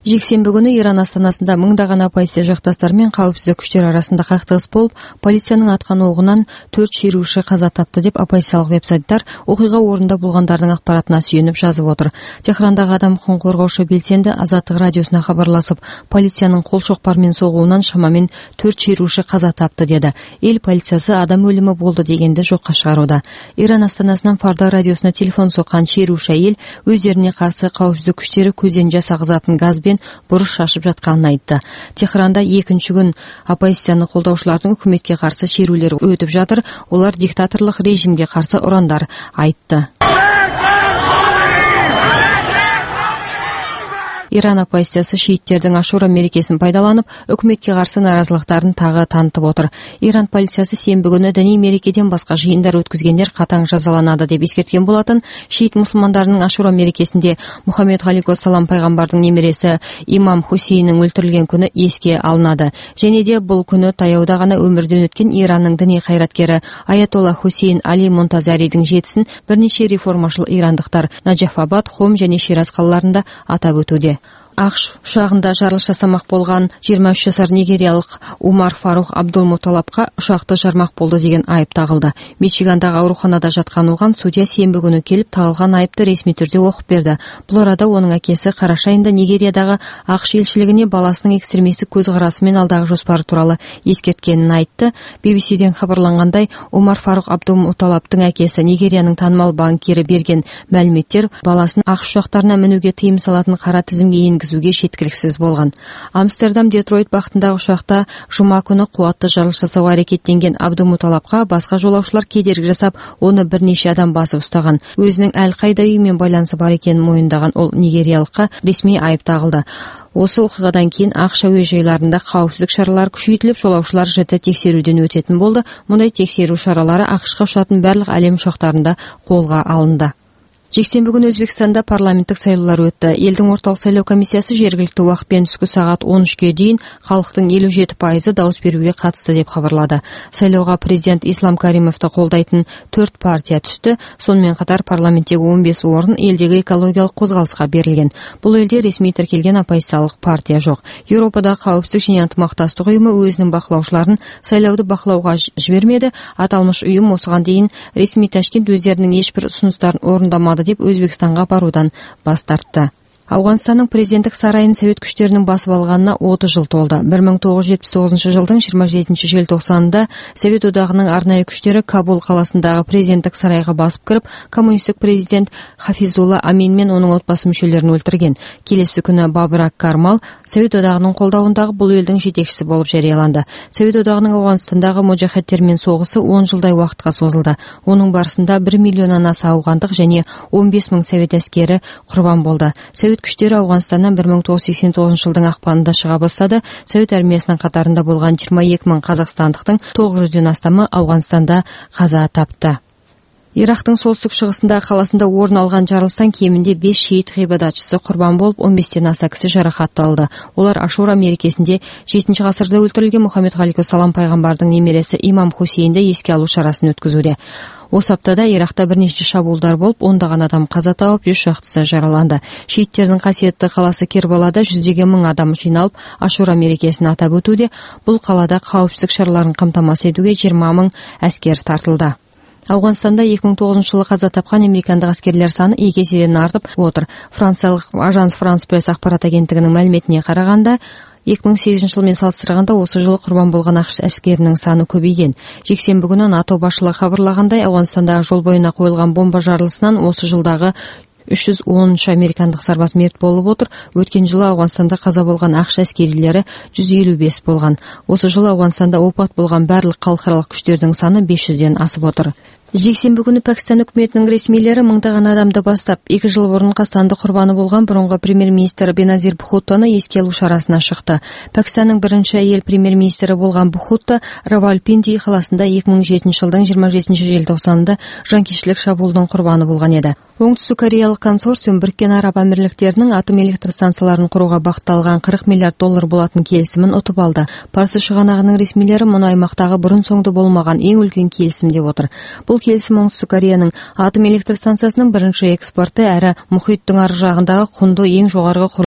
Жексенбі күнү Иран астанасында мыңдаган оппозиция жакташтар менен коопсуздук күчтөр арасында кактыгыс болуп, полициянын аткан огунан 4 шеруши каза тапты деп оппозициялык веб-сайттар окуйга орунда болгондордун акпаратына сүйүнүп жазып отур. Техрандагы адам укугун коргоочу белсенди Азаттык радиосуна кабарлашып, полициянын кол шокпар менен согуунан шамамен 4 шеруши каза тапты деди. Эл полициясы адам өлүмү болду дегенди жокко чыгарууда. Иран астанасынан Фарда радиосуна телефон соккан шеруши эл өздөрүнө каршы коопсуздук күчтөрү көздөн жас агызатын газ буруш шашып жатканын айтты. Техранда экинчи күн оппозицияны колдоочулардын өкмөткө каршы шерүүлөр өтүп жатыр. Олар диктаторлук режимге каршы урандар айтты. Иран оппозициясы шииттердин Ашура мерекесин пайдаланып, өкмөткө каршы нааразылыктарын тагы тантып отур. Иран полициясы сенбі күнү диний мерекеден башка жыйындар өткүзгендер катаң жазаланады деп эскерткен болатын. Шиит мусулмандарынын Ашура мерекесинде Мухаммед алейхиссалам пайгамбардын немереси имам Хусейндин өлтүрүлгөн күнү эске алынады. Және де бул күнү таяуда гана өмүрдөн өткөн Иранның диний кайраткери Аятолла Хусейн Али Монтазаридин жетисин бир нече реформачыл ирандыктар Наджафабад, Хом және Шираз калаларында атап өтүүдө. АКШ учагында жарылыш жасамак болгон 23 жашар нигериялык Умар Фарух Абдулмуталапка учакты жармак болду деген айып тагылды. Мичигандагы ооруканада жаткан уган судья сенбі күнү келип тагылган айыпты ресми түрдө окуп берди. Бул арада онун акеси караш айында Нигериядагы АКШ элчилигине баласынын экстремисттик көз карасы менен алдагы жоспары тууралуу эскерткенин айтты. BBCден кабарлангандай, Умар Фарух Абдулмуталаптын акеси Нигериянын таанымал банкири берген маалыметтер баласынын АКШ учактарына мүнүүгө тыйым салатын кара тизимге зүүгө жеткиликсиз болгон. Амстердам Детройт бактындагы учакта жума күнү кубаттуу жарылыш жасоого аракеттенген Абдулмуталапка башка жолоочулар кедерги жасап, оны бир нече адам басып устаган. Өзүнүн Аль-Кайда үйү менен байланышы бар экенин моюндаган ол нигериялыкка ресми айып тагылды. Осы окуядан кийин АКШ әуе жайларында коопсуздук чаралары күчөйтүлүп, жолоочулар жыты текшерүүдөн өтөтүн болду. Мындай текшерүү чаралары АКШга учатын барлык алем учактарында колго алынды. Жексенбі күнү Өзбекстанда парламенттик шайлоолор өттү. Элдин ортолук шайлоо комиссиясы жергиликтүү убакыт менен түшкү саат 13-кө дейин калктын 57% дауыс берүүгө катышты деп кабарлады. Шайлоого президент Ислам Каримовду колдойтун 4 партия түштү. Сонун катар парламенттеги 15 орун элдеги экологиялык козголуска берилген. Бул элде ресми тиркелген оппозициялык партия жок. Европада коопсуздук жана ынтымакташтык уюму өзүнүн бакылоочуларын шайлоодо бакылоого жибермеди. Аталмыш уюм осуга дейин ресми Ташкент өздөрүнүн эч бир сунуштарын орундамады деп Өзбекстанга баруудан бас тартты. Афганстандын президенттик сарайын совет күчтөрүнүн басып алганына 30 жыл толду. 1979 жылдын 27 желтоқсанында Совет одагынын арнайы күчтөрү Кабул каласындагы президенттик сарайга басып кирип, коммунисттик президент Хафизулла Амин менен онун отбасы мүчөлөрүн өлтүргөн. Келеси күнү Бабрак Кармал Совет одагынын колдоундагы бул элдин жетекчиси болуп жарыяланды. Совет одагынын Афганстандагы мужахеттер менен согушу 10 жылдай убакытка созулду. Онун барысында 1 миллиондон аса афгандык және 15 000 совет аскери курбан болду. Совет күчтөрү Афганстандан 1989 жылдын акпанында чыга баштады. Совет армиясынын катарында болгон 22 000 казакстандыктын 900дөн астамы Афганстанда каза тапты. Ирактын солтүстүк чыгышындагы каласында орун алган жарылыштан кеминде 5 шиит гыйбадатчысы курбан болуп, 15ден аса киши жаракат алды. Олар Ашура мерекесинде 7-гасырда өлтүрүлгөн Мухаммед алейхиссалам пайгамбардын немереси имам Хусейнди эске алуу чарасын өткүзүүдө. Осы аптада Иракта бир нече шабуулдар болуп, ондаган адам каза тауып, 100 шактысы жараланды. Шииттердин касиеттүү каласы Кербалада 100 мың адам жыйналып, Ашура мерекесин атап өтүүдө. Бул калада коопсуздук чараларын камтамасыз этүүгө 20 000 аскер тартылды. Афганстанда 2009 жылы каза тапкан американдык аскерлер саны 2 эседен артып отур. Франциялык Ажанс Франс Пресс акпарат агенттигинин маалиметине караганда, 2008 жыл менен салыштырганда осы жылы курбан болгон АКШ аскеринин саны көбөйгөн. Жексенбі күнү НАТО башчылыгы кабарлагандай, Афганстандагы жол боюна коюлган бомба жарылышынан осы жылдагы 310 американдык сарбаз мерт болуп отур. Өткөн жылы Афганстанда каза болгон АКШ аскерилери 155 болгон. Осы жылы Афганстанда опат болгон барлык калкаралык күчтөрдүн саны 500ден асып отур. Жексенбі күнү Пакистан өкмөтүнүн ресмилери мыңдаган адамды бастап, 2 жыл мурун кастандык курбаны болгон мурунку премьер-министр Беназир Бхуттону эске алуу чарасына чыкты. Пакистандын биринчи айыл премьер-министри болгон Бхутто Равалпинди каласында 2007 жылдын 27 желтоқсанында жанкечтилик шабуулдун курбаны болгон эди. Оңтүстүк Кореялык консорциум Бириккен Араб Амирликтеринин атом электр станцияларын курууга багытталган $40 миллиард болгон келисимин утуп алды. Парсы чыганагынын ресмилери муну аймактагы бурун соңду болмаган эң үлкөн келисим деп отур. Бул келисим Оңтүстүк Кореянын атом электр станциясынын биринчи экспорту, әрі мухиттин ар жагындагы кунду эң жогорку